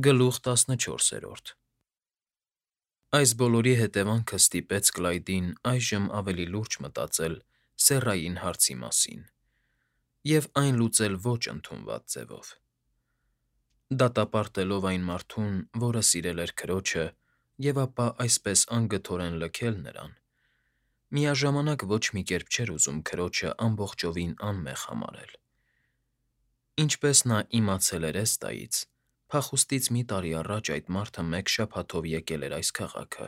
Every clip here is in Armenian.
Գլուխ 14 Այս բոլորի հետևանքը ստիպեց Կլայդին այժմ ավելի լուրջ մտածել սեռային հարցի մասին և այն լուծել ոչ ընդունված ձևով։ Դատապարտելով այն մարդուն, որը սիրել էր քրոջը, և ապա այսպես անգթորեն լքել նրան, միաժամանակ ոչ մի կերպ չէր ուզում քրոջը ամբողջովին անմեղ համարել։ Ինչպես նա իմացել էր էստայից, փախուստից մի տարի առաջ այդ մարդը մեկ շաբաթով եկել էր այս քաղաքը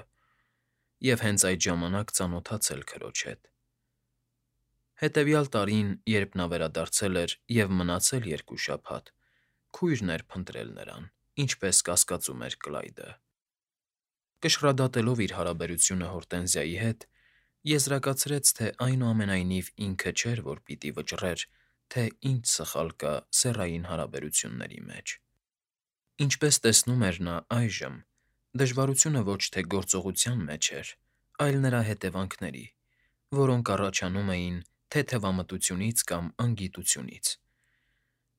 և հենց այդ ժամանակ ծանոթացել քրոջ հետ։ Հետևյալ տարին, երբ նա վերադարձել էր և մնացել 2 շաբաթ, քույրն էր փնտրել նրան, ինչպես կասկածում էր Կլայդը։ Կշռադատելով իր հարաբերությունը Հորտենզիայի հետ, եզրակացրեց, թե այնուամենայնիվ ինքը չէր, որ պիտի վճռեր, թե ինչ սխալ կա սեռային հարաբերությունների մեջ։ Ինչպես տեսնում էր նա այժմ, դժվարությունը ոչ թե գործողության մեջ էր, այլ նրա հետևանքների, որոնք առաջանում էին թեթևամտությունից կամ անգիտությունից։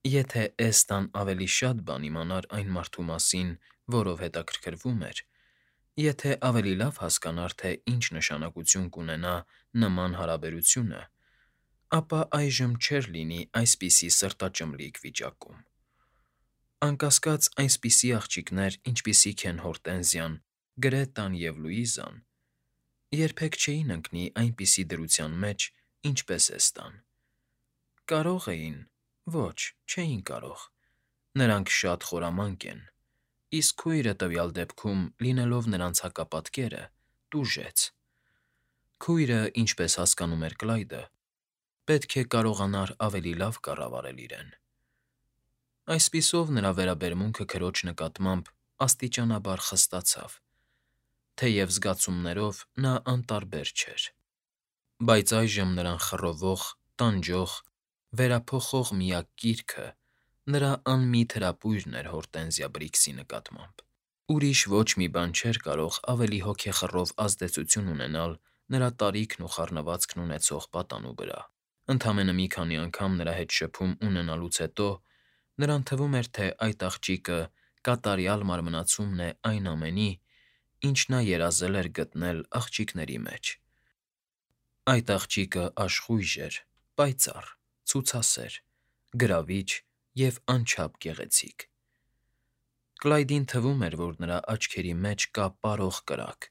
Եթե Էստան ավելի շատ բան իմանար այն մարդու մասին, որով հետաքրքրվում էր, եթե ավելի լավ հասկանար, թե ինչ նշանակություն կունենա նման հարաբերությունը, ապա այժմ չէր լինի այսպիսի սրտաճմլիկ վիճակում։ Անկասկած, այնպիսի աղջիկներ, ինչպիսիք են Հորտենզիան, Գրետան և Լուիզան, երբեք չէին ընկնի այնպիսի դրության մեջ, ինչպես Էստան։ Կարող էին, ոչ, չէին կարող, նրանք շատ խորամանկ են, իսկ քույրը տվյալ դեպքում, լինելով նրանց հակապատկերը, տուժեց։ Քույրը, ինչպես հասկանում էր Կլայդը, պետք է կարողանար ավելի լավ կառավարել իրեն։ Այսպիսով նրա վերաբերմունքը քրոջ նկատմամբ աստիճանաբար խստացավ, թեև զգացումներով նա անտարբեր չէր։ Բայց այժմ նրան խռովող, տանջող, վերափոխող միակ կիրքը նրա անմիտ հրապույրն էր Հորտենզիա Բրիքսի նկատմամբ։ Ուրիշ ոչ մի բան չէր կարող ավելի հոգեխռով ազդեցություն ունենալ նրա տարիքն ու խառնվածքն ունեցող պատանու վրա։ Ընդամենը մի քանի անգամ նրա հետ շփում ունենալուց հետո նրան թվում էր, թե այդ աղջիկը կատարյալ մարմնացումն է այն ամենի, ինչ նա երազել էր գտնել աղջիկների մեջ։ Այդ աղջիկը աշխույժ էր, պայծառ, ցուցասեր, գրավիչ և անչափ գեղեցիկ։ Կլայդին թվում էր, որ նրա աչքերի մեջ կա պարող կրակ։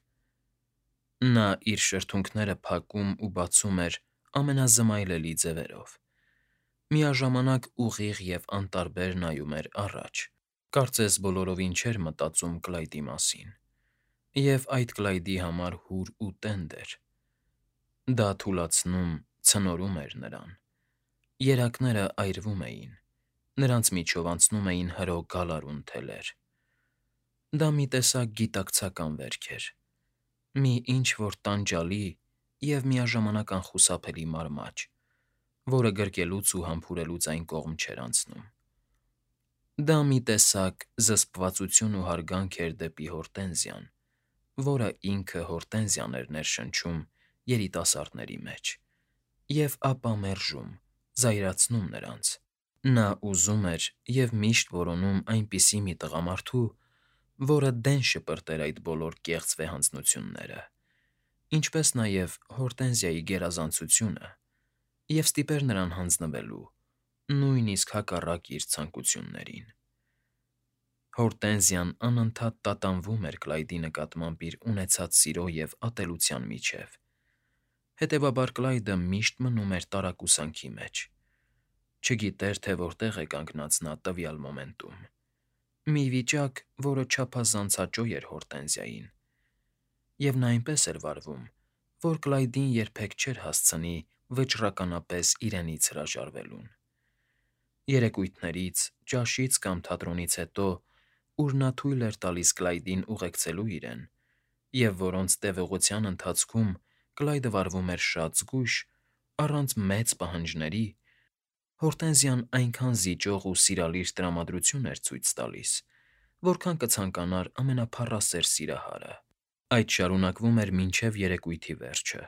Նա իր շրթունքները փակում ու բացում էր ամենազմայլելի ձևերով։ Միաժամանակ ուղիղ և անտարբեր նայում էր առաջ, կարծես բոլորովին չէր մտածում Կլայդի մասին, և այդ Կլայդի համար հուր ու տենդ էր։ Դա թուլացնում, ցնորում էր նրան։ Երակները այրվում էին, նրանց միջով անցնում էին հրո գալարուն թելեր։ Դա մի տեսակ գիտակցական վերք էր, մի ինչ֊որ տանջալի և միաժամանակ անխուսափելի մարմաջ, որը գրկելուց ու համբուրելուց այն կողմ չէր անցնում։ Դա մի տեսակ զսպվածություն ու հարգանք էր դեպի Հորտենզիան, որը ինքը Հորտենզիան էր ներշնչում երիտասարդների մեջ, և ապա մերժում, զայրացնում նրանց։ Նա ուզում էր և միշտ որոնում այնպիսի մի տղամարդու, որը դեն շպրտեր այդ բոլոր կեղծ վեհանձնությունները, ինչպես նաև Հորտենզիայի գերազանցությունը, և ստիպեր նրան հանձնվելու, նույնիսկ հակառակ իր ցանկություններին։ Հորտենզիան անընդհատ տատանվում էր Կլայդի նկատմամբ իր ունեցած սիրո և ատելության միջև, հետևաբար Կլայդը միշտ մնում էր տարակուսանքի մեջ, չգիտեր, թե որտեղ է կանգնած նա տվյալ մոմենտում։ Մի վիճակ, որը չափազանց հաճո էր Հորտենզիային, և նա այնպես էր վարվում, որ Կլայդին երբեք չէր հասցնի վճռականապես իրենից հրաժարվելուն։ Երեկույթներից, ճաշից կամ թատրոնից հետո, ուր նա թույլ էր տալիս Կլայդին ուղեկցելու իրեն, և որոնց տևողության ընթացքում Կլայդը վարվում էր շատ զգույշ, առանց մեծ պահանջների, Հորտենզիան այնքան զիջող ու սիրալիր տրամադրություն էր ցույց տալիս, որքան կցանկանար ամենափառասեր սիրահարը։ Այդ շարունակվում էր մինչև երեկույթի վերջը,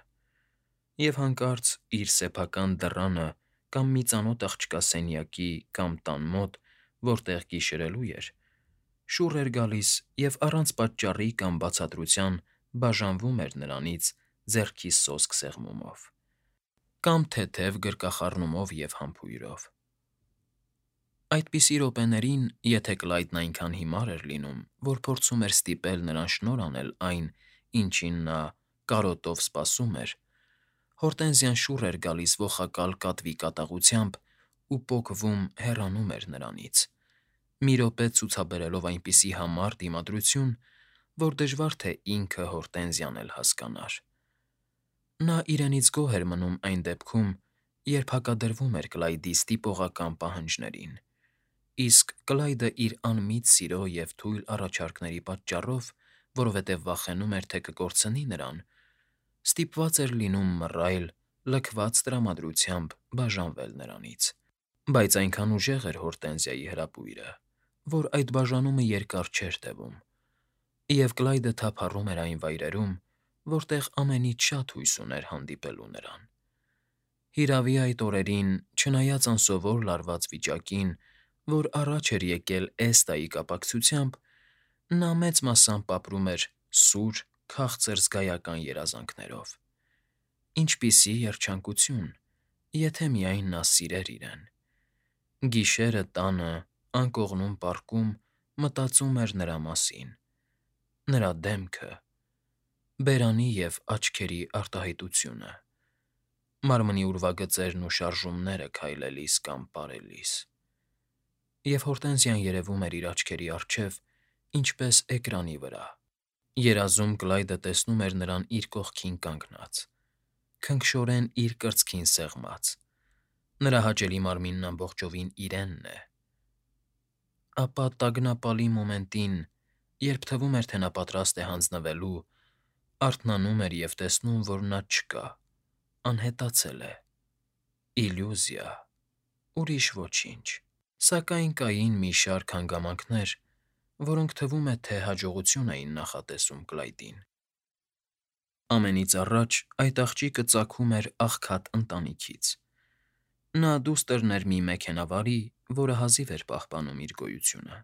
և հանկարծ իր սեփական դռանը կամ մի ծանոթ աղջկա սենյակի կամ տան մոտ, որտեղ գիշերելու էր, շուռ էր գալիս և առանց պատճառի կամ բացատրության բաժանվում էր նրանից ձեռքի սոսկ սեղմումով, կամ թեթև գրկախառնումով և համբույրով։ Այդպիսի րոպեներին, եթե Կլայդն այնքան հիմար էր լինում, որ փորձում էր ստիպել նրան շնորհ անել այն, ինչին նա կարոտով սպասում էր, Հորտենզիան շուռ էր գալիս ոխակալ կատվի կատաղությամբ ու պոկվում հեռանում էր նրանից, մի րոպե ցուցաբերելով այնպիսի համառ դիմադրություն, որ դժվար թե ինքը Հորտենզիան էլ հասկանար։ Նա իրենից գոհ էր մնում այն դեպքում, երբ հակադրվում էր Կլայդի ստիպողական պահանջներին, իսկ Կլայդը իր անմիտ սիրո և թույլ առաջարկների պատճառով, որովհետև վախենում էր, թե կկորցնի նրան, ստիպված էր լինում մռայլ, լքված տրամադրությամբ բաժանվել նրանից։ Բայց այնքան ուժեղ էր Հորտենզիայի հրապույրը, որ այդ բաժանումը երկար չէր տևում, և Կլայդը թափառում էր այն վայրերում, որտեղ ամենից շատ հույս ուներ հանդիպելու նրան։ Հիրավի, այդ օրերին, չնայած անսովոր լարված վիճակին, որ առաջ էր եկել Էստայի կապակցությամբ, նա մեծ մասամբ ապրում էր սուր, քաղցր զգայական երազանքներով։ Ինչպիսի երջանկություն, եթե միայն նա սիրեր իրեն։ Գիշերը տանը, անկողնում պառկում մտածում էր նրա մասին, նրա դեմքը, բերանի և աչքերի արտահայտությունը, մարմնի ուրվագծերն ու շարժումները քայլելիս կամ պարելիս։ Եվ Հորտենզիան երևում էր իր աչքերի առջև ինչպես էկրանի վրա։ Երազում Կլայդը տեսնում էր նրան իր կողքին կանգնած, քնքշորեն իր կրծքին սեղմած, նրա հաճելի մարմինն ամբողջովին իրենն է։ Ապա տագնապալի մոմենտին, երբ թվում էր, թե նա պատրաստ է հանձնվելու, արթնանում էր և տեսնում, որ նա չկա, անհետացել է, իլյուզիա, ուրիշ ոչինչ։ Սակայն կային մի շարք հանգամանքներ, որոնք թվում է, թե հաջողություն էին նախատեսում Կլայդին։ Ամենից առաջ այդ աղջիկը ծագում էր աղքատ ընտանիքից։ Նա դուստրն էր մի մեքենավարի, որը հազիվ էր պահպանում իր գոյությունը։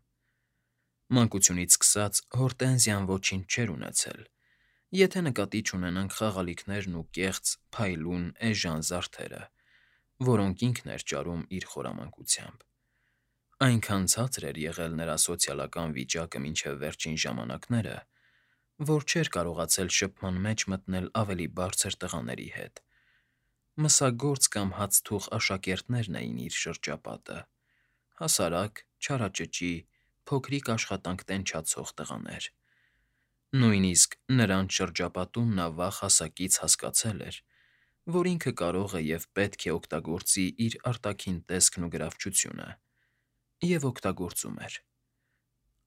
Մանկությունից սկսած Հորտենզիան ոչինչ չէր ունեցել, եթե նկատի չունենանք խաղալիքներն ու կեղծ, փայլուն, էժան զարդերը, որոնք ինքն էր ճարում իր խորամանկությամբ։ Այնքան ցածր էր եղել նրա սոցիալական վիճակը մինչև վերջին ժամանակները, որ չէր կարողացել շփման մեջ մտնել ավելի բարձր տղաների հետ։ Մսագործ կամ հացթուխ աշակերտներն էին իր շրջապատը, հասարակ, չարաճճի, փոքրիկ աշխատանք տենչացող տղաներ։ Նույնիսկ նրանց շրջապատում նա վաղ հասակից հասկացել էր, որ ինքը կարող է և պետք է օգտագործի իր արտաքին տեսքն ու գրավչությունը, և օգտագործում էր։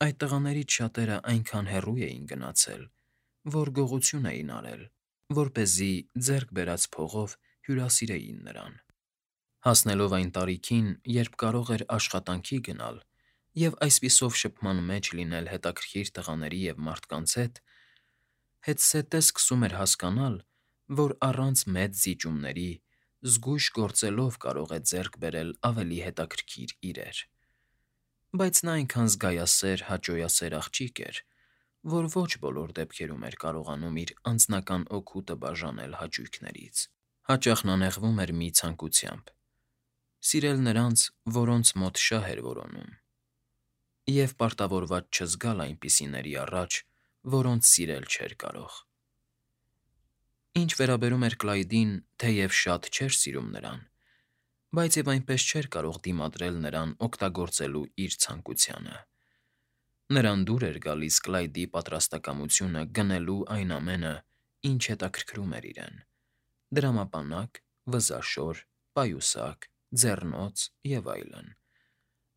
Այդ տղաներից շատերը այնքան հեռու էին գնացել, որ գողություն էին արել, որպեսզի ձեռք բերած փողով հյուրասիրեին նրան։ Հասնելով այն տարիքին, երբ կարող էր աշխատանքի գնալ և այսպիսով շփման մեջ լինել հետաքրքիր տղաների և մարդկանց հետ, հետզհետե սկսում էր հասկանալ, որ առանց մեծ զիջումների, զգույշ գործելով կարող է ձեռք բերել ավելի հետաքրքիր իրեր։ Բայց նա այնքան զգայասեր, հաճոյասեր աղջիկ էր, որ ոչ բոլոր դեպքերում էր կարողանում իր անձնական օգուտը բաժանել հաճույքներից։ Հաճախ նա նեղվում էր մի ցանկությամբ՝ սիրել նրանց, որոնց մոտ շահ էր որոնում, և պարտավորված չզգալ այնպիսիների առաջ, որոնց սիրել չէր կարող։ Ինչ վերաբերում էր Կլայդին, թեև շատ չէր սիրում նրան, բայց և այնպես չէր կարող դիմադրել նրան օգտագործելու իր ցանկությանը։ Նրան դուր էր գալիս Կլայդի պատրաստակամությունը գնելու այն ամենը, ինչ հետաքրքրում էր իրեն՝ դրամապանակ, վզաշոր, պայուսակ, ձեռնոց և այլն,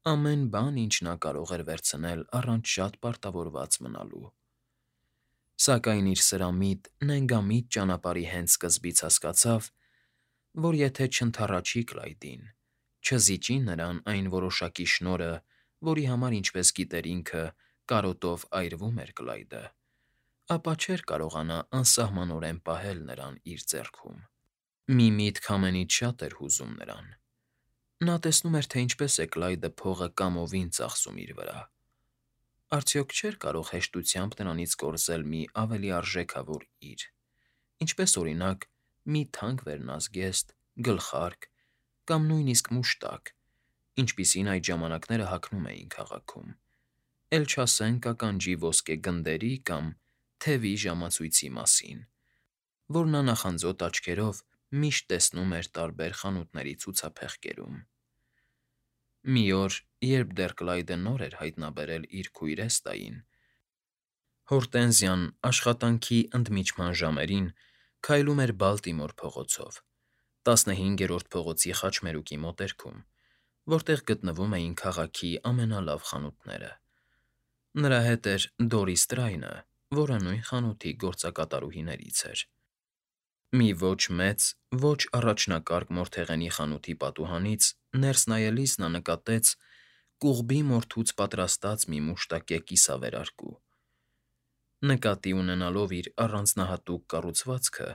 ամեն բան, ինչ նա կարող էր վերցնել առանց շատ պարտավորված մնալու։ Սակայն իր սրամիտ, նենգամիտ ճանապարհի հենց սկզբից հասկացավ, որ եթե չընդառաջի Կլայդին, չզիջի նրան այն որոշակի շնորհը, որի համար, ինչպես գիտեր ինքը, կարոտով այրվում էր Կլայդը, ապա չէր կարողանա անսահմանորեն պահել նրան իր ձեռքում։ Մի միտք ամենից շատ էր հուզում նրան։ Նա տեսնում էր, թե ինչպես է Կլայդը փողը կամովին ծախսում իր վրա։ Արդյոք չէր կարող հեշտությամբ նրանից կորզել մի ավելի արժեքավոր իր, ինչպես օրինակ մի թանկ վերնազգեստ, գլխարկ կամ նույնիսկ մուշտակ, ինչպիսին այդ ժամանակները հագնում էին քաղաքում, էլ չասենք ականջի ոսկե գնդերի կամ թևի ժամացույցի մասին, որ նա նախանձոտ աչքերով միշտ տեսնում էր տարբեր խանութների ցուցափեղկերում։ Մի օր, երբ դեռ Կլայդը նոր էր հայտնաբերել իր քույր Էստային, Հորտենզիան աշխատանքի ընդմիջման ժամերին քայլում էր Բալտիմոր փողոցով, 15-րդ փողոցի խաչմերուկի մոտերքում, որտեղ գտնվում էին քաղաքի ամենալավ խանութները։ Նրա հետ էր Դորիս Տրայնը, որը նույն խանութի գործակատարուհիներից էր։ Մի ոչ մեծ, ոչ առաջնակարգ մորթեղենի խանութի պատուհանից ներս նայելիս նա նկատեց կուղբի մորթուց պատրաստած մի մուշտակե կիսավերարկու։ Նկատի ունենալով իր առանձնահատուկ կառուցվածքը,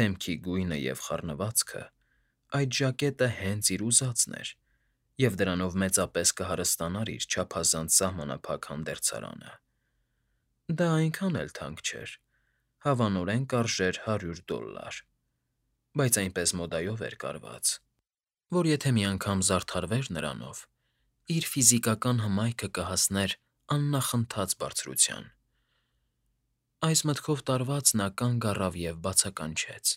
դեմքի գույնը և խառնվածքը, այդ ժակետը հենց իր ուզածն էր, և դրանով մեծապես կհարստանար իր չափազանց սահմանափակ հանդերձարանը։ Դա այնքան էլ թանկ չէր, հավանորեն կարժեր $100, բայց այնպես մոդայով էր կարված, որ եթե մի անգամ զարդարվեր նրանով, իր ֆիզիկական հմայքը կհասներ աննախընթաց բարձրության։ Այս մտքով տարված նա կանգ առավ և բացականչեց.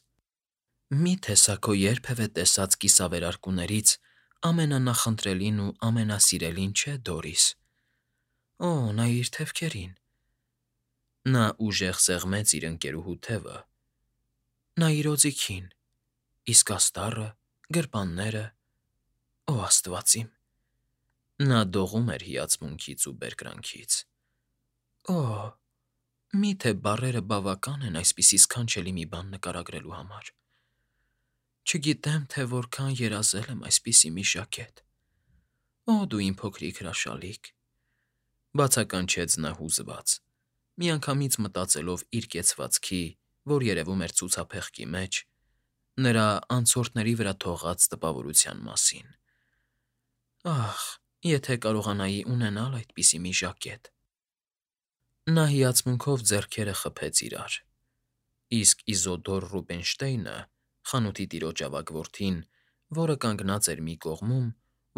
«Մի՞թե սա քո երբևէ տեսած կիսավերարկուներից ամենանախընտրելին ու ամենասիրելին չէ, Դորիս։ Օ, նայիր թևքերին»։ Նա ուժեղ սեղմեց իր ընկերուհու թևը։ «Նայիր օձիքին, իսկ աստառը, գրպանները, օ աստված իմ»։ Նա դողում էր հիացմունքից ու բերկրանքից։ «Օ, մի՞թե բառերը բավական են այսպիսի սքանչելի մի բան նկարագրելու համար։ Չգիտեմ, թե որքան երազել եմ այսպիսի մի ժակետ։ Օ, դու իմ փոքրիկ հրաշալիք», բացականչեց նա հուզված, միանգամից մտածելով իր կեցվածքի, որ երևում էր ցուցափեղկի մեջ, նրա անցորդների վրա թողած տպավորության մասին։ «Ախ, եթե կարողանայի ունենալ այդպիսի մի ժակետ»։ Նա հիացմունքով ձեռքերը խփեց իրար, իսկ Իզոդոր Ռուբինշտեյնը, խանութի տիրոջ ավագ որդին, որը կանգնած էր մի կողմում,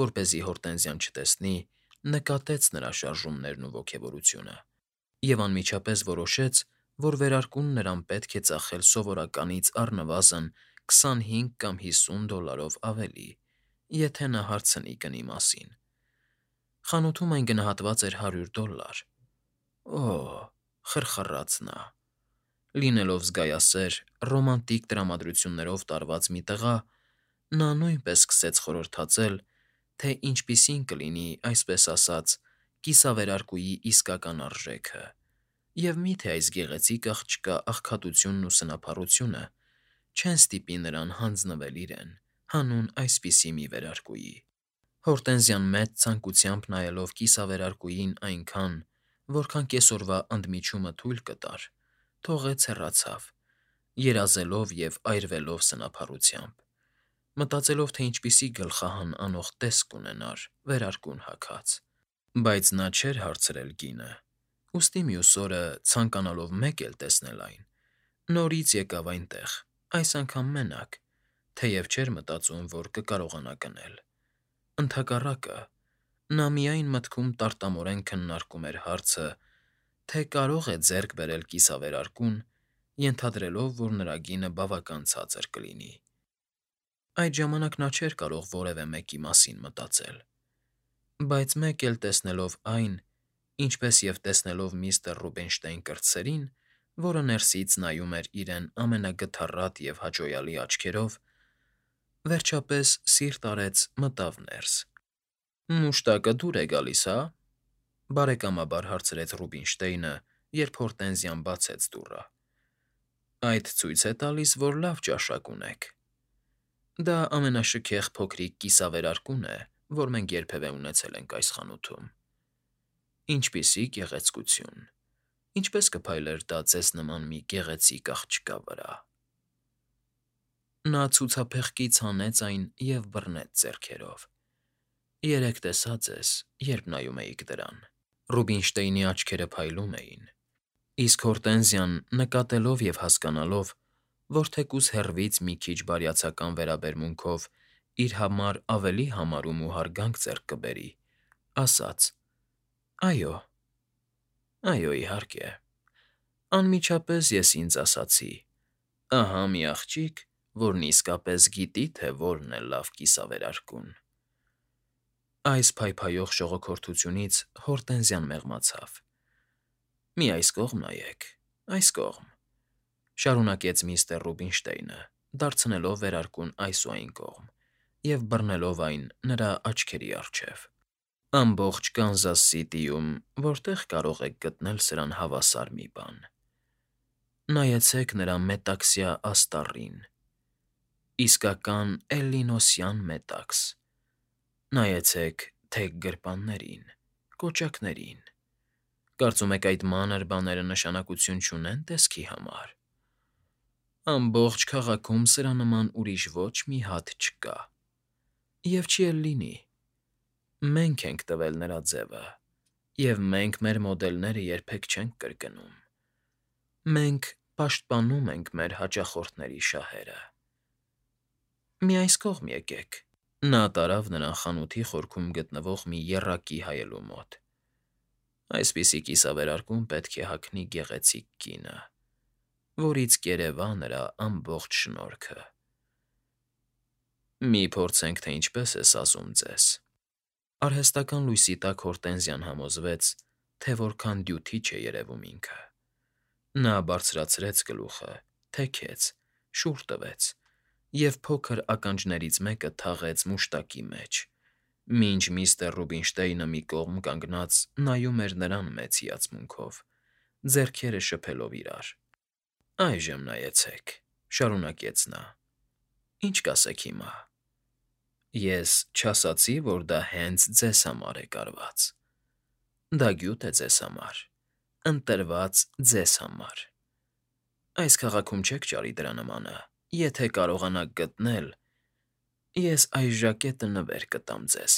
որպեսզի Հորտենզիան չտեսնի, նկատեց նրա շարժումներն ու ոգևորությունը և անմիջապես որոշեց, որ վերարկուն նրան պետք է ծախել սովորականից առնվազն 25 կամ $50 ավելի, եթե նա հարցնի գնի մասին։ Խանութում այն գնահատված էր $100։ Օ՜, խրխռաց նա։ Լինելով զգայասեր, ռոմանտիկ տրամադրություններով տարված մի տղա, նա նույնպես սկսեց խորհրդածել, թե ինչպիսին կլինի, այսպես ասած, կիսավերարկուի իսկական արժեքը, և միթե այս գեղեցիկ աղջկա աղքատությունն ու սնափառությունը չեն ստիպի նրան հանձնվել իրեն, հանուն այսպիսի մի վերարկուի։ Հորտենզիան մեծ ցանկությամբ նայելով կիսավերարկուին այնքան, որքան կեսօրվա ընդմիջումը թույլ կտար, թողեց հեռացավ, երազելով և այրվելով սնափառությամբ, մտածելով, թե ինչպիսի գլխահան անող տեսք կունենար վերարկուն հագած։ Բայց նա չէր հարցրել գինը, ուստի մյուս օրը, ցանկանալով մեկ էլ տեսնել այն, նորից եկավ այնտեղ, այս անգամ մենակ, թեև չէր մտածում, որ կկարողանա գնել։ Ընդհակառակը, նա միայն մտքում տարտամորեն քննարկում էր հարցը, թե կարո՞ղ է ձեռք բերել կիսավերարկուն, ենթադրելով, որ նրա գինը բավական ցածր կլինի։ Այդ ժամանակ նա չէր կարող որևէ մեկի մասին մտածել։ Բայց մեկ էլ տեսնելով այն, ինչպես և տեսնելով միստր Ռուբինշտեյն կրտսերին, որը ներսից նայում էր իրեն ամենագթառատ և հաճոյալի աչքերով, վերջապես սիրտ արեց մտավ ներս։ «Մուշտակը դուր է գալիս, հա՞», բարեկամաբար հարցրեց Ռուբինշտեյնը, երբ Հորտենզիան բացեց դուռը։ «Այդ ցույց է տալիս, որ լավ ճաշակ ունեք։ Դա ամենաշքեղ փոքրիկ կիսավերարկուն է, որ մենք երբևէ ունեցել ենք այս խանութում։ Ինչպիսի գեղեցկություն… Ինչպե՞ս կփայլեր դա ձեզ նման մի գեղեցիկ աղջկա վրա»։ Նա ցուցափեղկից հանեց այն և բռնեց ձեռքերով։ «Երեկ տեսա ձեզ, երբ նայում էիք դրան»։ Ռուբինշտեյնի աչքերը փայլում էին, իսկ Հորտենզիան, նկատելով և հասկանալով, որ թեկուզ հեռվից մի քիչ բարյացակամ վերաբերմունքով իր համար ավելի համարում ու հարգանք ձեռք կբերի, ասաց. «Այո, այո, իհարկե, անմիջապես ես ինձ ասացի. ահա մի աղջիկ, որն իսկապես գիտի, թե որն է լավ կիսավերարկուն»։ Այս փայփայող ժողոքորթությունից Հորտենզիան մեղմացավ. «Մի այս կողմ նայեք, այս կողմ», շարունակեց միստր Ռուբինշտեյնը, դարձնելով վերարկուն այս ու այն կողմ և բռնելով այն նրա աչքերի առջև։ «Ամբողջ Կանզաս Սիթիում որտե՞ղ կարող եք գտնել սրան հավասար մի բան։ Նայեցեք նրա մետաքսյա աստառին, իսկական էլլինոսյան մետաքս, նայեցեք թեք գրպաններին, կոճակներին։ Կարծում եք այդ մանր բաները նշանակություն չունեն տեսքի համար։ Ամբողջ քաղաքում սրա նման ուրիշ ոչ մի հատ չկա։ Եվ չի էլ լինի։ Մենք ենք տվել նրա ձևը, և մենք մեր մոդելները երբեք չենք կրկնում։ Մենք պաշտպանում ենք մեր հաճախորդների շահերը։ Մի այս կողմ եկեք»։ Նա տարավ նրան խանութի խորքում գտնվող մի եռակի հայելու մոտ։ «Այսպիսի կիսավերարկում պետք է հագնի գեղեցիկ կինը, որից կերևա նրա ամբողջ շնորհքը։ Մի փորձենք, թե ինչպես է սազում ձեզ»։ Արհեստական լույսի տակ Հորտենզիան համոզվեց, թե որքան դյութիչ է երևում ինքը։ Նա բարձրացրեց գլուխը, թեքեց, շուռ տվեց և փոքր ականջներից մեկը թաղեց մուշտակի մեջ, մինչ միստր Ռուբինշտեյնը մի կողմ կանգնած նայում էր նրան մեծ հիացմունքով, ձեռքերը շփելով իրար։ «Այժմ նայեցեք», շարունակեց նա. «ինչ կասեք հիմա։ Ես չասացի, որ դա հենց ձեզ համար է կարված։ Դա գյուտ է ձեզ համար, ընտրված ձեզ համար։ Այս քաղաքում չեք ճարի դրա նմանը, եթե կարողանաք գտնել, ես այս ժակետը նվեր կտամ ձեզ»։